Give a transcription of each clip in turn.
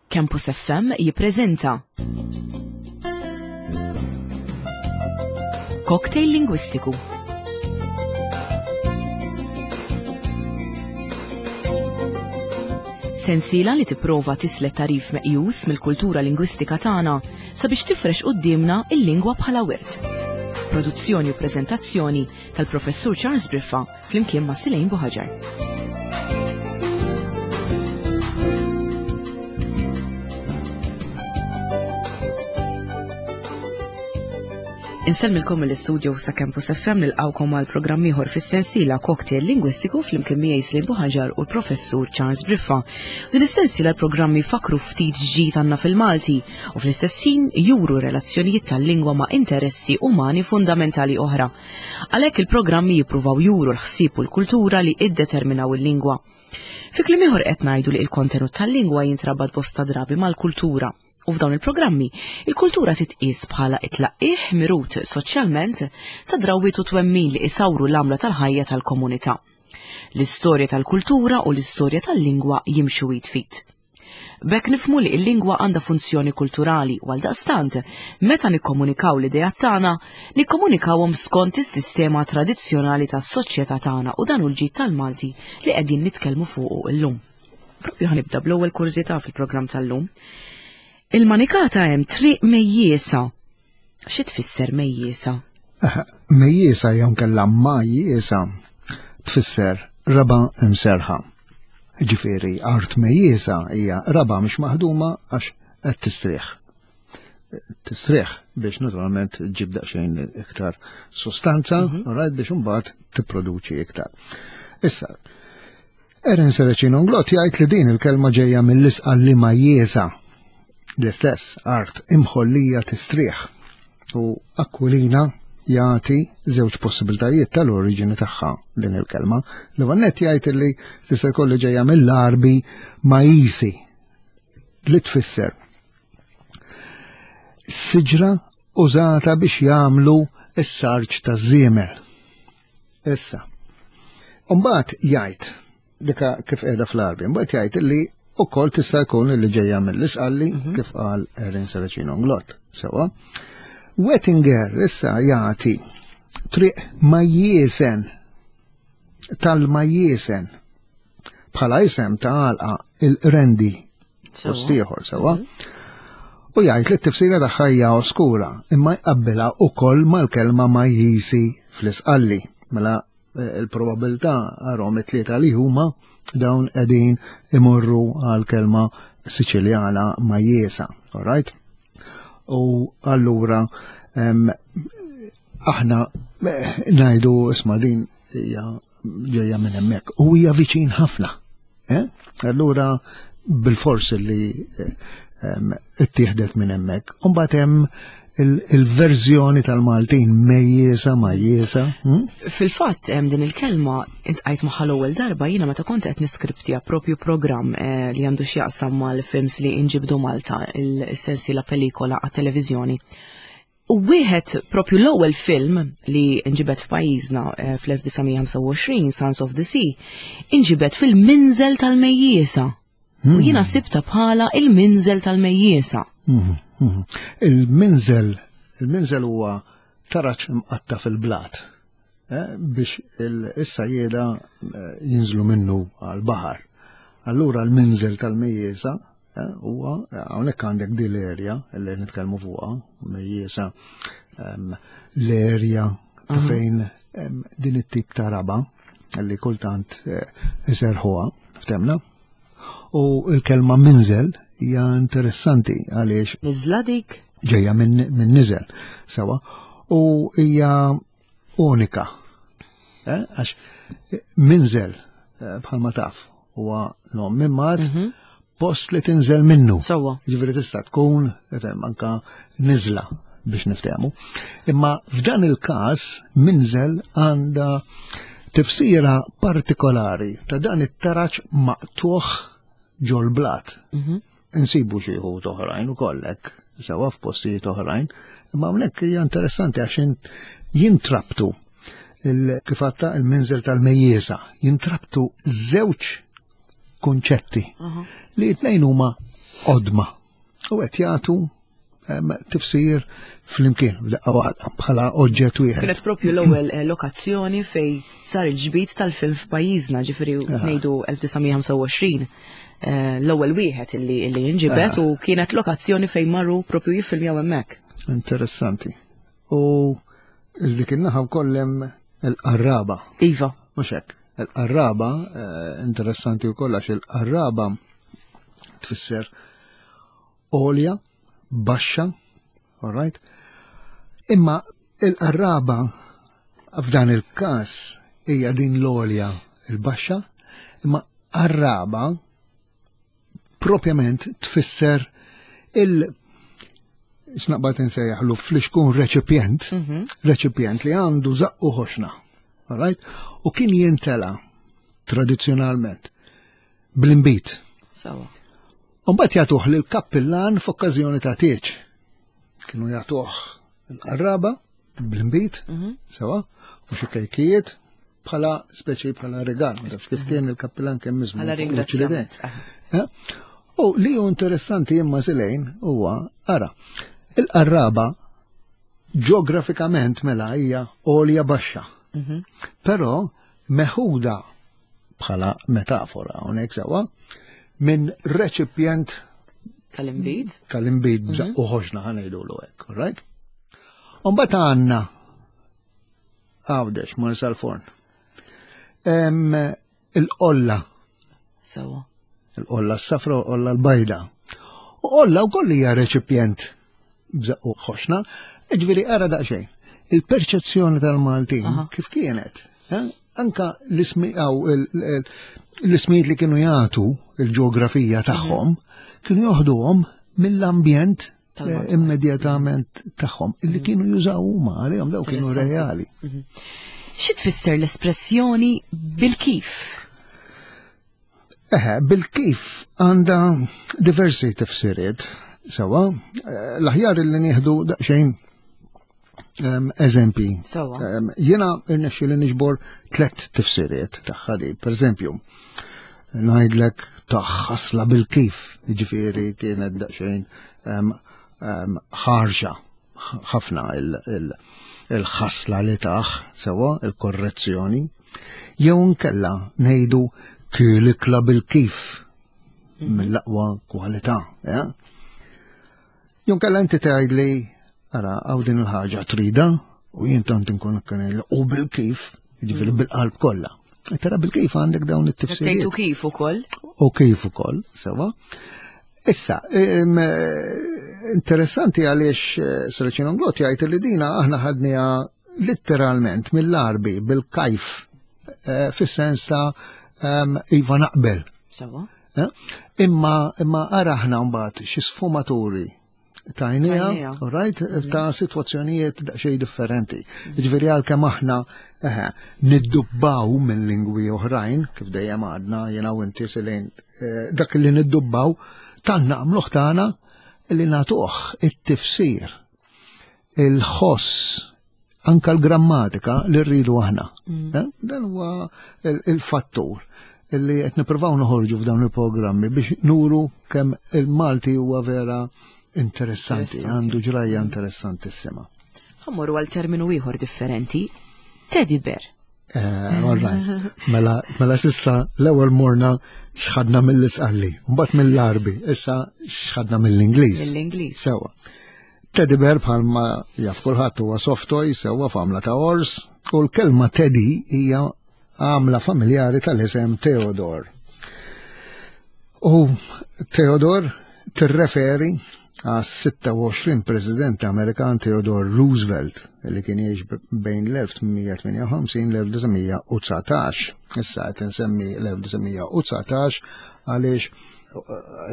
Campus FM jippreżenta Cocktail Lingwistiku. Sensiela li tipprova tislet tarif meqjus mill-kultura lingwistika tagħna sabiex tifrex quddiemna il-lingwa bħala wirt. Produzzjoni u preżentazzjoni tal-Professur Charles Briffa flimkien ma' Silejn Buħaġar. Insellmilkom mill-istudio sa' Campus FM nilqawkom għal programm ieħor fis-sensiela Cocktail Lingwistiku flimkien miegħi Slim Buħaġar u l-Professur Charles Briffa. Din is-sensiela l-programmi fakru ftit ġdid għandna fil-Malti u fl-istess ħin juru relazzjonijiet tal-lingwa ma' interessi umani fundamentali oħra. Għalhekk il-programmi jippruvaw juru l-ħsieb u l-kultura li iddeterminaw il-lingwa. Fi kliem ieħor qed ngħidu li l-kontenut tal-lingwa jintrabat bosta drabi mal-kultura. U f'dawn il-programmi, il-kultura titqies bħala it-tlaqqih mirut soċjalment ta' drawwiet u twemmin li isawru l-għamla tal-ħajja tal-komunità. L-istorja tal-kultura u l-istorja tal-lingwa jimxu id fit. B'hekk nifhmu li l-lingwa għandha funzjoni kulturali u għaldaqstant, meta nikkomunikaw l-ideat tagħna, nikkomunikawhom skont is-sistema tradizzjonali tas-soċjetà tagħna u dan hu l-ġid tal-Malti li qegħdin nitkellmu fuqu llum. Propju ħanibda bl-ewwel kurżità fil-programm tal-lum. Il-manikata hemm triq mejjiesa. Xi tfisser mejjiesa? Mejjiesa jew nkella majjiesa tfisser raba' imserħa. Ġifieri art mejjiesa hija raba' mhix maħduma għax qed tistrieħ. Tistrieħ biex naturalment ġib daqsxejn iktar sostanza, mm -hmm. right, biex imbagħad tipproduċi iktar. Issa, Erin Seracino Nglott jgħid li din il-kelma ġejja mill-isqa li ma jiesa l-istess art imħollija tistrieħ u Aquilina jagħti żewġ possibiltajiet tal-oriġini tagħha din il-kelma. L-ewwel nett jgħid li tista' jkollu ġejja mill-Arbi majisi li tfisser siġra użata biex jagħmlu s-sarġ taż-żiemel. Issa. Umbagħad jgħid dika kif qiegħda fl-Arbi, mbagħad jgħid li ukoll tista' jkun li ġejja mill-isqalli mhm. kif qal Erin Saracino Nglott. Sewa. Wettinger issa jagħti triq ma jiesen tal-ma jiesen bħala isem ta' għalqa il-rendi post ieħor sewwa. Mhm. U jgħid li t-tifsira tagħha hija oskura, imma jqabbilha ukoll mal-kelma majjisi fl-isqalli. Mela eh, il-probabilità għarhom it-tlieta li huma dawn qegħdin imorru għal kelma Siċiljana majjesa, all right? U allura aħna eh, ngħidu isma' din hija ġejja minn hemmhekk u hija viċin ħafna. Eh? Allura bil-fors li eh, ittieħdet minn hemmhekk. Imbagħad hemm il-verżjoni tal-Maltin mejjesa majjesa. Hm? Fil-fatt hemm din il-kelma intqajt magħha l-ewwel darba jiena meta kont qed niskriptja propju programm eh, li għandu x'jaqsam mal-films li inġibdu Malta il-sensi la pelikola għat-televiżjoni. U wieħed propju l-ewwel film li nġibed f'pajjiżna eh, fl-1925, Sons of the Sea, inġibed fil-minżel tal-mejjiesa. U hmm. jiena sibta bħala il-minżel tal-mejjiesa. Hmm, hmm. Il-minżel, il-minżel huwa taraġ imqatta fil-blat eh, biex is-sajjeda eh, jinżlu minnu għal-baħar. Allura l-minżel tal-mejjiesa Eh, huwa eh, hawnhekk għandek di l-erja li nitkellmu fuqha, mejjiesa ehm, l-erja ta' mhm. fejn ehm, din it-tip ta' raba li kultant eh, iserħuha, ftemna. U l-kelma minżel hija interessanti għaliex. Niżla dik? Ġejja minn min niżel, sewa. U hija unika. Eh, għax eh, minżel eh, bħalma taf huwa nom mimmat mhm. post li tinżel minnu. Sewwa. Ġifieri tista' tkun ifhem anka niżla biex niftehmu. Imma f'dan il-każ minżel għandha tifsira partikolari ta' dan it-taraġ maqtuħ ġol-blat. Mhm. Insibu xi wħud oħrajn ukoll hekk, sewa f'postijiet oħrajn, imma hawnhekk hija interessanti għax jintrabtu kif għatta il-minżel tal-mejjiesa, jintrabtu żewġ kunċetti li t-tnejn huma qodma u qed jagħtu tifsir flimkien f'daqqa waħda bħala oġġett wieħed. Kienet propju l-ewwel eh, lokazzjoni fej sar il-ġbid tal-film f'pajjiżna, ġifieri ngħidu 1925 eh, l-ewwel wieħed illi illi jinġibed u kienet lokazzjoni fejn marru propju jiffilmjaw hemmhekk. Interessanti. U dik in-naħa wkoll hemm il-qarraba. Iva. Mhux hekk. Il-qarraba, eh, interessanti wkoll għax il-qarraba tfisser għolja, baxxa, all right? Imma il-qarraba f'dan il-każ hija din l-għolja il-baxxa, imma qarraba propjament tfisser il- x'naqbad insejjaħlu flixkun reċipjent, mhm. reċipjent li għandu zaqqu ħoxna, all right? U kien jintela tradizzjonalment bl-imbit. Sawa. Umbat jagħtuh lil kappillan f'okkażjoni ta' tieġ. Kienu jagħtuh il-qarraba bl-imbit, mhm. sewa, u xi kejkijiet bħala speċi bħala regal, ma tafx kif mhm. kien il-kappillan kemm miżmu. Bħala ringrazzjament. Eh? U li hu interessanti imma silejn huwa ara, il-qarraba ġeografikament mela hija għolja baxxa. Mhm. Però meħuda bħala metafora hawnhekk sewwa minn reċipjent tal-imbid. Tal-imbid mm -hmm. u ħoxna ħanejdulu hekk, right? Umbagħad għandna Għawdex, Marsa l-Forn. Il-qolla. Sewa. Il-qolla s-safra u l-qolla l-bajda. U qolla u koll hija reċipjent bżaqqu ħoxna, ġifieri ara daqsxejn. Il-perċezzjoni tal-Maltin kif kienet? Eh? Anka l-ismijiet li kienu jagħtu il-ġeografija tagħhom kienu joħduhom mill-ambjent eh, immedjatament tagħhom illi mhm. kienu jużaw huma għalihom daw kienu reali. Mhm. Xi tfisser l-espressjoni bil-kif? Eħe, bil-kif għandha diversi tifsiriet, sewa, eh, l-aħjar li nieħdu daqsxejn ehm, eżempi. Ehm, jiena irnexxi li niġbor tlet tifsiriet tagħha di. Per eżempju, ngħidlek taħħasla bil-kif, jiġifieri kienet daqsxejn ehm, ħarxa ħafna il-ħasla li taħ, sewa, il-korrezzjoni, jew nkella ngħidu kielikla bil-kif mhm. mill-aqwa kwalità. Ja? Jew nkella inti tgħidli ara hawn din il-ħaġa trida u jien tant inkun u bil-kif, jiġifieri mhm. bil-qalb kollha. Tara bil-kif għandek dawn it-tifsiriet. Tgħidu kif ukoll. U kif ukoll, sewa. Issa, interessanti għaliex eh, Saracino Glot jgħid li dina aħna ħadniha letteralment mill-arbi bil-kajf eh, fis-sens ta' iva naqbel. Sewa. Eh? Imma imma ara aħna mbagħad xi sfumaturi tajnija, right, mm. ta' situazzjonijiet xej differenti. Mm. Ġifieri għalkemm aħna eh, niddubbaw minn lingwi oħrajn, kif dejjem għadna jiena u inti silejn eh, dak li niddubbaw tan nagħmluh tagħna li nagħtuh it-tifsir, il-ħoss, anka l-grammatika li rridu aħna. Mm. Eh, dan huwa il-fattur li qed nippruvaw noħorġu f'dawn il-programmi biex nuru kemm il-Malti huwa vera interessanti, għandu ġrajja interessantissima. Ħammorru għal terminu ieħor differenti, teddy bear. Eh, all right. Mela, mela sissa l-ewwel morna xħadna mill-isqalli, mbagħad mill-Arbi, issa xħadna mill-Ingliż. Mill-Ingliż. Sewa. Teddy bear bħalma jaf kulħadd huwa soft toy sewwa f'għamla ta' ors u l-kelma teddy hija għamla familjari tal-isem Theodore. U Theodore tirreferi għas 26 President Amerikan Theodore Roosevelt li kien jgħix bejn l-1858 l-1919. Issa qed insemmi l-1919 għaliex eh,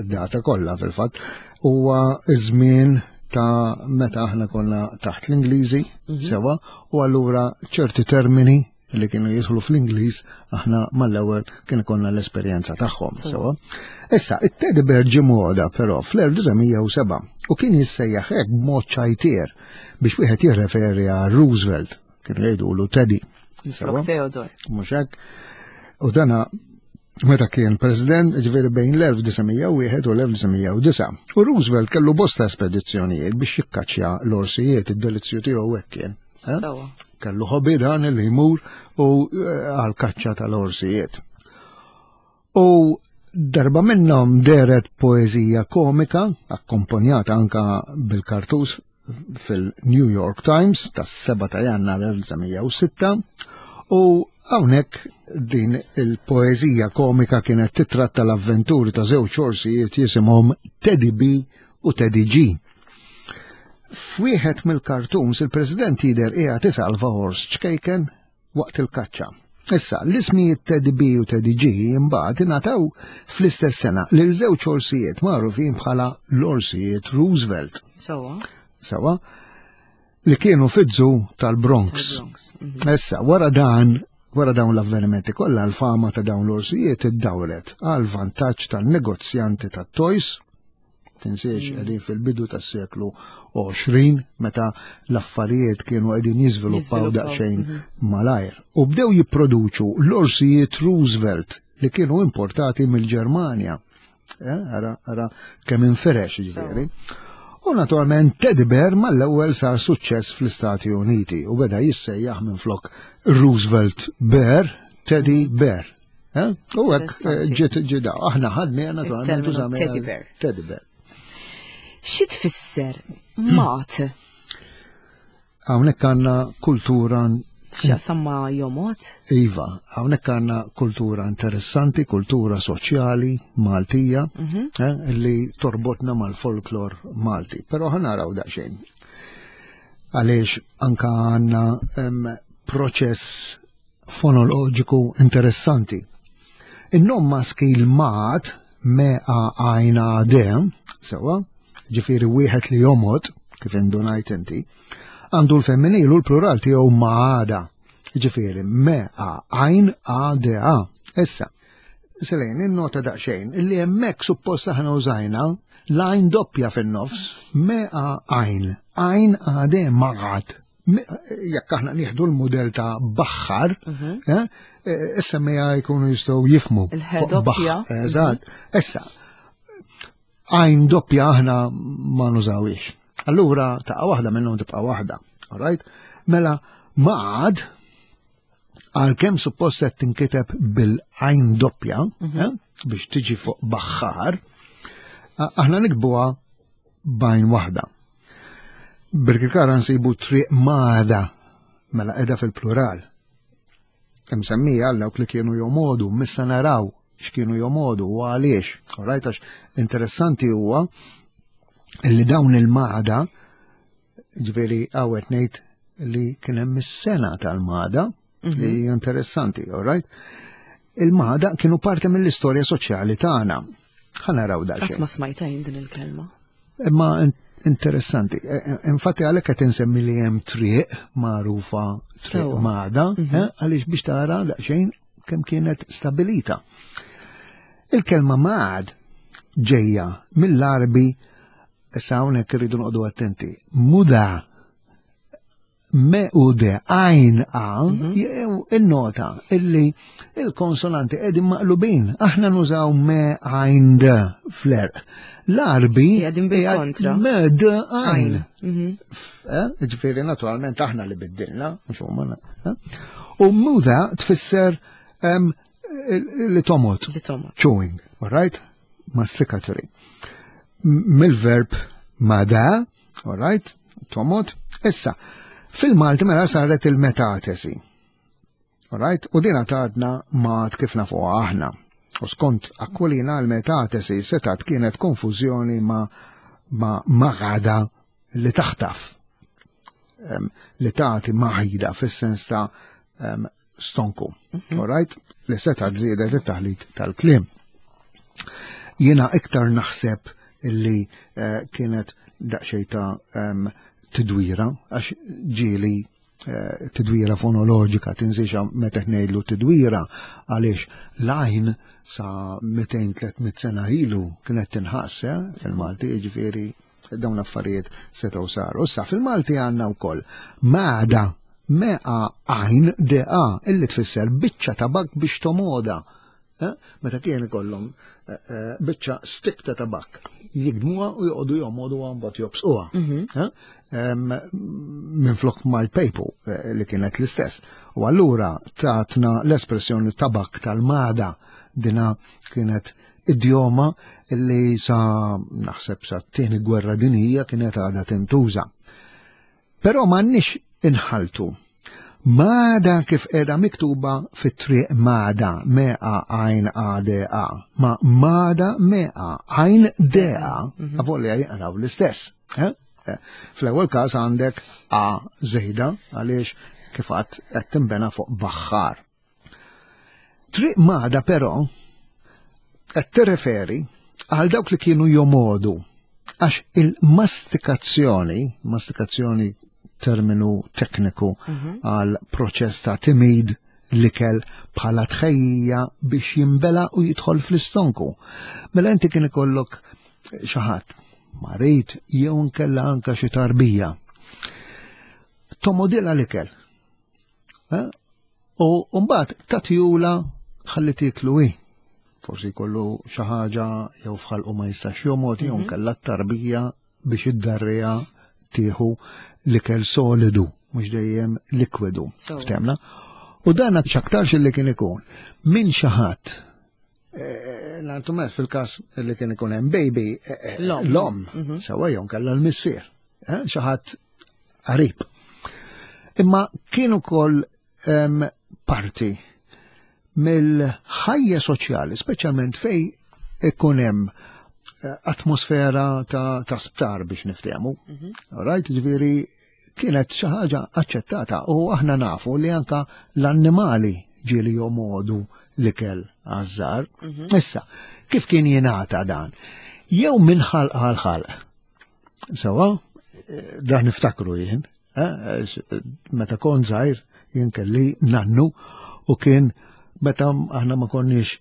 id-data kollha fil-fatt huwa żmien ta' meta aħna konna taħt l-Ingliżi mhm. sewa u allura ċerti termini li kienu jidħlu fl-Ingliż aħna mal-ewwel kien ikollna l-esperjenza tagħhom sewa. Issa, it-teddy bear ġie moda però fl-1907 u kien jissejjaħ hekk b'mod ċajtier biex wieħed jirreferi għal Roosevelt, kienu jgħidulu Teddy. Sewa. Theodore. Mhux hekk. U dana Meta kien president, ġifieri bejn l-1901 u l-1909. U Roosevelt kellu bosta spedizzjonijiet biex jikkaċċja l-orsijiet, id-delizzju tiegħu hekk kien. Eh? Kellu ħobi dan li jmur u eh, għal kaċċa tal-orsijiet. U darba minnhom deret poeżija komika, akkomponjata anka bil-kartus fil-New York Times tas-7 ta' Jannar 1906 u hawnhekk din il-poeżija komika kienet titratta l-avventuri ta' żewġ orsijiet jisimhom Teddy B u Teddy G. F'wieħed mill-kartuns il-President jidher qiegħed isalva ors ċkejken waqt il-kaċċa. Issa, l-ismijiet Teddy B u Teddy G imbagħad ingħataw fl-istess sena lil żewġ orsijiet magħrufin bħala l-orsijiet Roosevelt. Sawa. Sawa. Li kienu fiż-żu tal-Bronx. Mhm. Issa, wara dan, wara dawn l-avvenimenti kollha l-fama ta' dawn l-orsijiet iddawret għal vantaġġ tan-negozjanti tat-toys Tinsiex mm. qegħdin fil-bidu tas-seklu 20 meta l-affarijiet kienu qegħdin jiżviluppaw daqsxejn mhm. malajr. U bdew jipproduċu l-orsijiet Roosevelt li kienu importati mill-Ġermanja. Eh, ara, ara kemm inferex ġifieri. U naturalment Teddy Bear mal-ewwel sar suċċess fl-Istati Uniti u beda jissejjaħ minn flok Roosevelt Bear, Teddy Bear. Eh? U hekk eh, ġiet ġida, aħna ħadni naturalment użamna Teddy bear. Teddy bear. Xi tfisser mat? Hawnhekk għandna kultura X'jaqsam ma' jomot? Iva, hawnhekk għandna kultura interessanti, kultura soċjali Maltija, mhm. eh, li torbotna mal-folklor Malti. Però ħanaraw daqsxejn. Għaliex anka għandna proċess fonoloġiku interessanti. In-nom maskil mat me a għajn a d, sewa, ġifieri wieħed li jomod, kif indunajt inti, għandu l-femminil u l-plural tiegħu maada, ġifieri me a għajn a d a. Issa, Selejn, innota daqsxejn illi hemmhekk suppost aħna użajna l-għajn doppja fin-nofs, me a għajn, għajn a d magħad. Jekk aħna nieħdu l-mudell ta' baħħar, mhm. eh, eh, issa mija jkunu jistgħu jifmu. Il-doppja. Eżatt. Mhm. Issa, għajn doppja aħna ma nużawiex. Allura taqa' waħda minnhom tibqa' waħda. All right? Mela maqad għalkemm suppost qed tinkiteb bil-għajn doppja mhm. eh, biex tiġi fuq baħħar, aħna nikbuha b'għajn waħda. Birkirkara nsibu triq mada, mela qiegħda fil-plural. Imsemmija għal dawk li kienu jomodu, missa naraw x'kienu jomodu u għaliex. Alright, għax interessanti huwa li dawn il-mada, ġifieri għawet ngħid li kien hemm is-sena tal-mada, mhm. li hija interessanti, alright? Il-mada kienu parti mill-istorja soċjali tagħna. Ħa naraw daqsxejn. Qatt ma smajta jien din il-kelma. Imma interessanti. E, e, infatti għalhekk qed insemmi li hemm triq magħrufa triq mada, mhm. eh, għaliex biex tara daqsxejn kemm kienet stabilita. Il-kelma mad ġejja mill-Arbi issa hawnhekk irridu noqogħdu attenti. Muda me u de għajn a, mhm. jew il-nota illi il-konsonanti qegħdin maqlubin. Aħna nużaw me għajn d fl-erq. L-arbi qegħdin bil-kontra. Me d għajn. Mhm. Eh, ġifieri naturalment aħna li biddilna, mhux huma. Eh? U muda tfisser li tomot. Li tomot. Chewing, all right? Masticatory. Mill-verb mada, All right? Tomot. Issa, fil-Malti mela saret il-metatesi. All right? U dina tadna mat kif nafuha aħna. U skont Aquilina l-metatesi setat kienet konfużjoni ma ma maghada li taħtaf li tagħti maħida fis-sens ta' stonku. Mhm. All right? Li seta' żiedet it-taħlit tal-kliem. Jiena iktar naħseb illi eh, kienet daqsxejn ta' tidwira, għax ġieli eh, tidwira fonoloġika, tinżixa meta ngħidlu tidwira għaliex l-għajn sa 200-300 sena ilu kienet tinħass eh, fil-Malti, jiġifieri dawn l-affarijiet setgħu saru. Issa fil-Malti għandna wkoll mada me a għajn de a illi tfisser biċċa tabak biex tomoda. Eh? Meta kien ikollhom eh, eh, biċċa stick ta' tabak jigdmuha u joqogħdu jomoduha mbagħad jobsquha. Mhm. Minflok ma jpejpu li kienet l-istess. U allura tatna l-espressjoni tabak tal-mada dina kienet idjoma li sa naħseb sa t-tieni gwerra dinija kienet għadha tintuża. Però m'għandniex inħalltu Magħda kif qiegħda miktuba fit-triq Magħda, M-A għajn A D A, ma' Magħda M-A għajn D A, mhm. avolja jinqraw l-istess. Eh? Eh, fl-ewwel każ għandek A żejda għaliex kif għadd qed tinbena fuq baħħar. Triq Magħda però qed tirreferi għal dawk li kienu jomodu għax il-mastikazzjoni, mastikazzjoni terminu tekniku mhm. għal proċess ta' timid l-ikel bħala tħejjija biex jimbela u jidħol fl-istonku. Mela inti kien ikollok xi ħadd marid jew nkella anka xi tarbija. Tomodila l-ikel. Eh? U mbagħad tagħtihula ħalli tieklu hi. Forsi jkollu xi ħaġa jew f'ħalqu ma jistax jomgħod jew mhm. kellha tarbija biex id-darrija tieħu l-ikel solidu, mhux dejjem likwidu. Ftemna. U dan x'aktarx li kien ikun minn xi ħadd eh, Nantu fil-kas li kien ikun hemm baby eh, eh, l-om, mhm. sewa jew kellha l-missier, xi ħadd qarib. Imma kien ukoll parti mill-ħajja soċjali, speċjalment fej ikun hemm eh, atmosfera ta', ta sptar biex niftehmu. Mm -hmm. Right, ġifieri kienet xi ħaġa aċċettata u aħna nafu li anka l-annimali ġieli jomodu l-ikel għażżar. Mm -hmm. Issa, kif kien jingħata dan? Jew minn ħalq għal ħalq. Sewa, dan niftakru jien, eh, meta kont żgħir jien kelli nannu u kien meta aħna ma konniex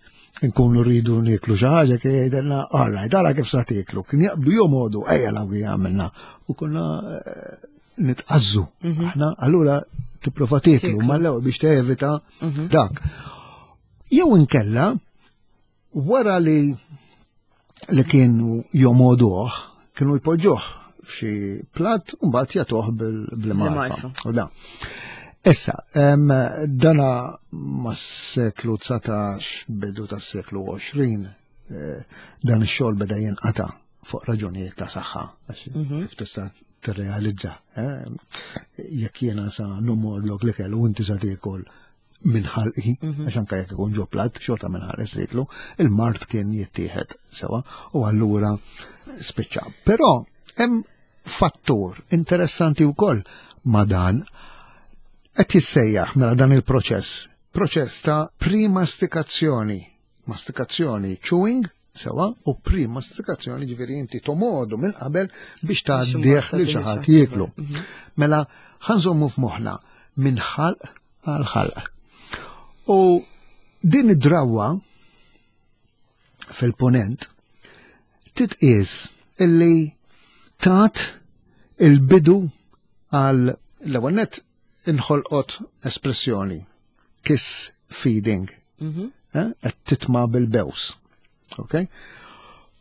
nkunu rridu nieklu xi ħaġa kien jgħidilna all right, ara kif sa tieklu. Kien jaqbdu jomodu ejja law għamilna u konna eh, nitqazzu. Mhm. Aħna allura tipprova tieklu mal-ewwel biex tevita mhm. dak. Jew inkella Wara li li kienu jomoduh, kienu jpoġġuh f'xi platt u mbagħad jagħtuh bil-marfa. U da. Issa, dana mas-seklu 19 bidu tas-seklu 20 eh, dan ix-xogħol beda jinqata' fuq raġunijiet ta' saħħa, mhm. kif tista' tirrealizza. Eh, jekk jiena sa numorlok li kellu inti sa tiekol minn ħalqi, mhm. għax anka jekk ikun ġo plat, xorta minn ħares liklu, il-mart kien jittieħed sewa u allura spiċċa. Però hemm fattur interessanti wkoll ma' dan qed jissejjaħ mela dan il-proċess, proċess ta' primastikazzjoni, mastikazzjoni chewing, Sewa, u primastikazzjoni ġifieri inti tomodu minn qabel biex tgħaddih li xi ħadd jieklu. Mhm. Mela ħanżommu f'moħħna minn ħalq għal ħalq. U din id-drawwa fil-ponent titqies illi tat il-bidu għal l-ewwel net inħolqot espressjoni kiss feeding. Mhm. Eh, qed titma bil-bews. Ok?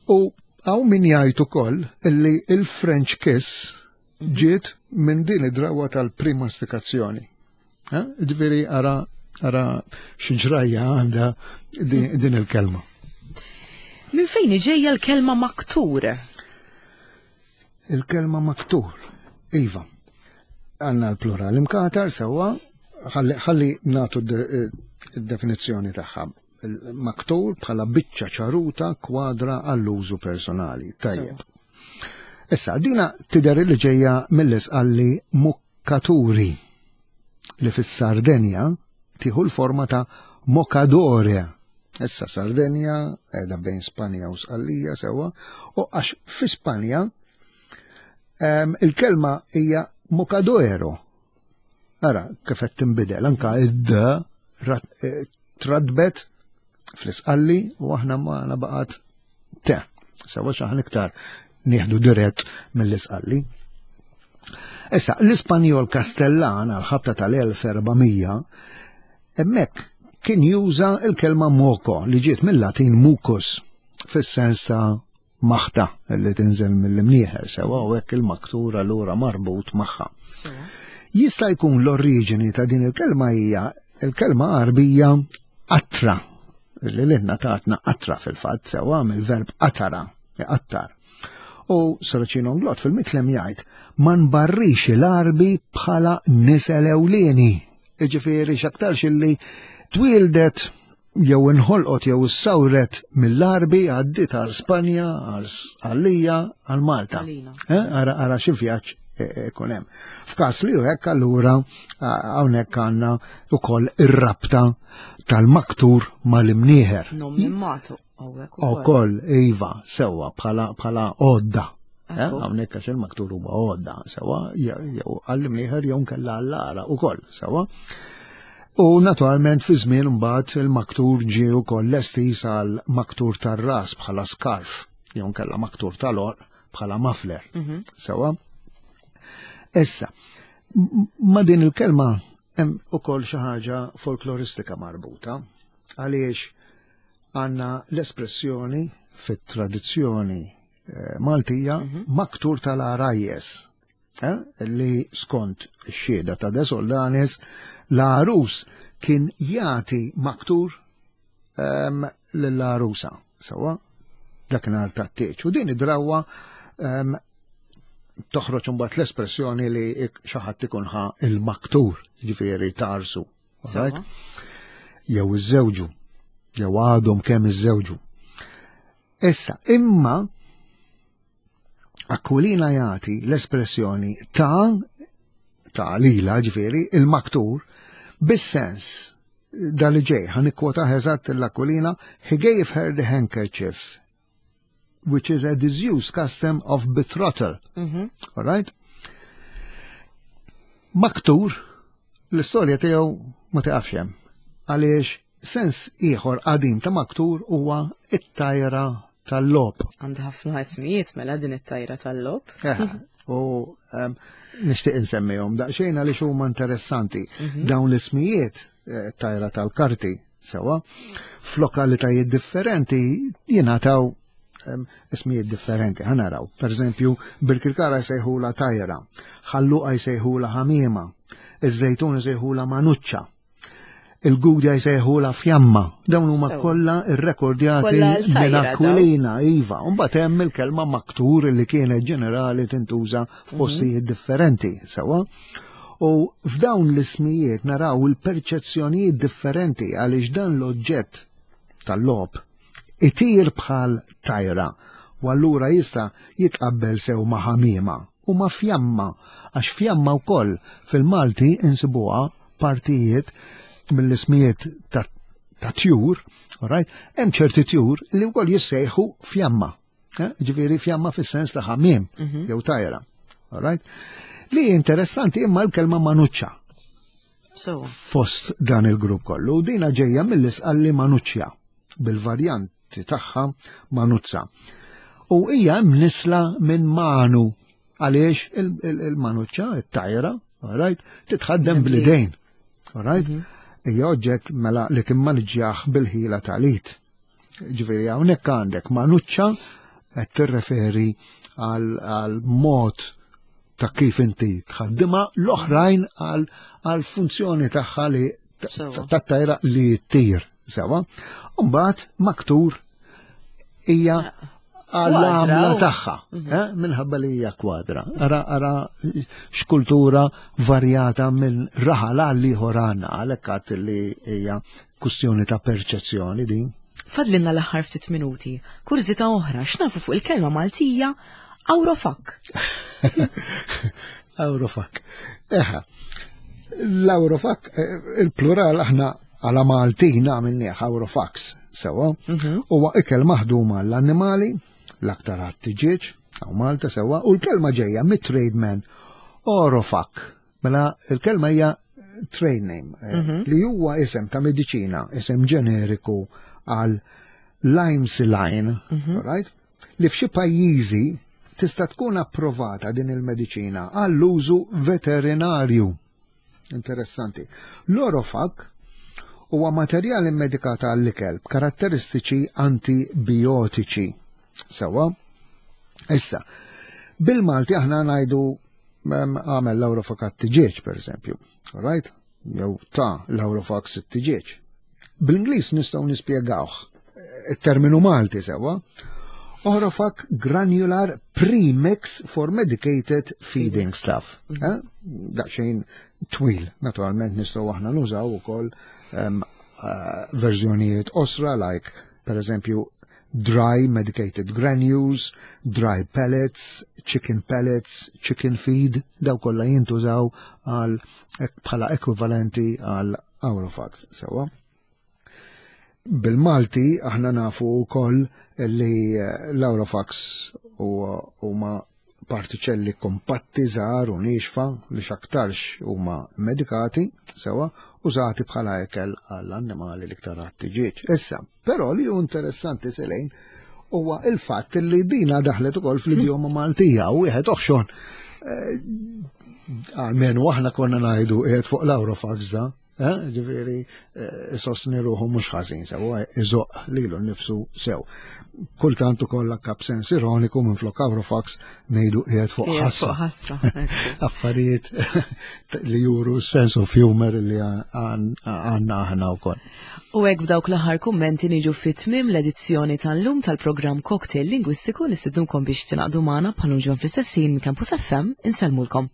U hawn min jgħid ukoll illi il-French kiss mhm. ġiet minn din id-drawa tal-primastikazzjoni. Eh, ġifieri ara ara xi ġrajja għandha din il-kelma. Minn fejn ġejja l-kelma maktur? Il-kelma maktur, iva. Għanna l-plural imkatar sewwa, ħalli natu d-definizzjoni tagħha. Maktur bħala biċċa ċaruta kwadra għall-użu personali. Tajjeb. Issa, dina tidher li ġejja mill-isqalli mukkaturi li fis-Sardenja tieħu l-forma ta' mocadore. Issa Sardenja qiegħda bejn Spanja u Sqallija sewwa, u għax fi Spanja il-kelma hija mocadoero. Ara kif qed tinbidel anka id-d eh, tradbet fl-isqalli u aħna ma baqgħet te. Sewa xaħan iktar nieħdu dirett mill-isqalli. Issa, l-Ispanjol Kastellan għal-ħabta tal-1400 hemmhekk kien juża l-kelma moko li ġiet mill-Latin mucus fis-sens ta' maħta li tinżel mill-imnieħer sewa u hekk il-maktur allura marbut magħha. Jista' jkun l-oriġini ta' din il-kelma hija il-kelma Għarbija qatra li lilna tatna qatra fil-fatt sewa mill-verb qatara, iqattar. U Saracino Nglot fil-mitlem jgħid ma nbarrix il-Għarbi bħala nisel ewlieni. Jiġifieri x'aktarx illi twieldet jew inħolqot jew issawret mill-Għarbi għaddiet għal Spanja, għal Sqallija, għal Malta. Eh, ara ara xi vjaġġ eh, eh, ikun hemm. F'każ li hekk allura hawnhekk għandna wkoll ir-rabta tal-maktur mal-imnieħer. Nom immatu hawnhekk ukoll. Ukoll iva sewwa bħala bħala għodda. Hawnhekk għax il-maktur huwa għodda sewwa jew għall-imnieħer jew nkella għall-ara ukoll sewwa. U naturalment fi żmien mbagħad il-maktur ġie wkoll lesti għal maktur tar-ras bħala skarf jew nkella maktur tal-għorq bħala muffler. Sewwa. Issa, ma din il-kelma hemm ukoll xi ħaġa folkloristika marbuta għaliex għandna l-espressjoni fit-tradizzjoni eh, Maltija mhm. maktur tal-għarajjes eh, li skont ix-xhieda ta' De Soldanis l-għarus kien jagħti maktur ehm, lill-għarusa sewwa dakinhar tat-tieġ. U din id-drawwa ehm, toħroġ imbagħad l-espressjoni li xi ħadd ikun ħa il-maktur, ġifieri tarsu. Right? Jew iżżewġu, jew għadhom kemm iżżewġu. Issa, imma Aquilina jagħti l-espressjoni ta' ta' lila ġifieri il-maktur bis-sens dal ġej, ħa nikkwota eżatt l-Aquilina, he gave her the handkerchief which is a disused custom of betrothal. Mm -hmm. All right? Maktur, l-istorja tiegħu ma tiqafx hemm. Għaliex sens ieħor qadim ta' maktur huwa it-tajra tal-lob. Għandha ħafna ismijiet mela din it-tajra tal-lob. Eh, u um, nixtieq insemmihom daqsxejn għaliex huma interessanti. Mm -hmm. Dawn l-ismijiet eh, tajra tal-karti Sewa, f'lokalitajiet differenti jingħataw ismijiet differenti. Ħanaraw, per eżempju, Birkirkara jsejħula tajra, ħalluqa jsejħula ħamiema, iż-żejtun jsejħula manuċċa, il-gudja jsejħula fjamma. Dawn huma kollha irrekordjati minn Aquilina, iva. Mbagħad hemm il-kelma maktur li kienet ġenerali tintuża f'postijiet mhm. differenti, sewa. U f'dawn l-ismijiet naraw il-perċezzjonijiet differenti għaliex dan l-oġġett tal-logħob itir bħal tajra u allura jista' jitqabbel sew ma' ħamiema u ma' fjamma għax fjamma wkoll fil-Malti insibuha partijiet mill-ismijiet ta' ta' tjur, right? Hemm ċerti tjur li wkoll jissejħu fjamma. Eh, ġifieri fjamma fis-sens ta' ħamiem mhm. jew tajra. All right? Li interessanti imma l-kelma manuċċa. So. Fost dan il-grupp kollu, dina ġejja mill-isqalli manuċċja bil-varjanti tagħha manuzza. U hija mnisla minn manu għaliex il-manuċċa, it-tajra, all right, titħaddem bl-idejn. All right? Mhm. Hija oġġett mela li timmaniġġjah bil-ħila tal-id. Ġifieri hawnhekk għandek manuċċa qed tirreferi għal mod ta' kif inti tħaddimha l-oħrajn għal funzjoni tagħha li tat-tajra li ttir sewa. Mbagħad maktur hija għall-għamla tagħha, mhm. eh, minħabba li hija kwadra. Ara ara x'kultura varjata minn raħal għal ieħor għandna għalhekk li hija Kustjoni ta' perċezzjoni din. Fadlinna l-aħħar ftit minuti. Kurżità oħra, x'nafu fuq il-kelma Maltija Awrofak? Awrofak. Eħa, l-Awrofak, eh, il-plural aħna għala Maltin għamilnieh Awrofax, sewa, mhm. huwa ikel maħdum għall-annimali, l-aktar għat-tiġieġ, għaw Malta sewa, u l-kelma ġejja mit-trademan Orofak. Mela il-kelma hija trade name, eh, mhm. li huwa isem ta' mediċina, isem ġeneriku għal limesiline, mm right? Li f'xi pajjiżi tista' tkun approvata din il-mediċina għall-użu veterinarju. Interessanti. L-Orofak. Huwa materjal immedikat għall-ikel b'karatteristiċi antibiotiċi. Sewwa? Issa, bil-Malti aħna ngħidu għamel l-Awrofak għat-tiġieġ, per eżempju. Right? Jew ta' l-Awrofak sit-tiġieġ. Bl-Ingliż nistgħu nispjegawh it-terminu Malti sewwa. Orofak granular premix for medicated feeding stuff. Mhm. Eh? Daqsxejn twil, naturalment nistgħu aħna nużaw ukoll um, uh, verżjonijiet osra like per eżempju dry medicated granules, dry pellets, chicken pellets, chicken feed, daw kollha jintużaw għal bħala ekwivalenti għal Aurofax, sewwa. Bil-Malti aħna nafu wkoll li eh, l-Aurofax huma partiċelli kompatti żgħar u niexfa li x'aktarx huma medikati sewa użati bħala ekel għall-annimali l-iktar għat-tiġieġ. Issa, però li hu interessanti selejn huwa il-fatt li dina daħlet ukoll fl-idjoma Maltija u wieħed oħxon eh, għalmenu aħna konna ngħidu qiegħed fuq l-Aurofax da. Eh, ġifieri eh, isostni ruħu mhux ħażin sew, eh, iżoq lilu nnifsu sew. Kultant ukoll kap sens ironiku minn flok Awrofax ngħidu qiegħed fuq ħassa. Affarijiet li juru sense of humor li għandna aħna wkoll. U hekk b'dawk l-aħħar kummenti niġu fit tmiem l-edizzjoni tal-lum tal-programm Cocktail Lingwistiku li sidnunkom biex tingħaqdu magħna bħal ġon fl-istess ħin minn Campus FM insellmulkom.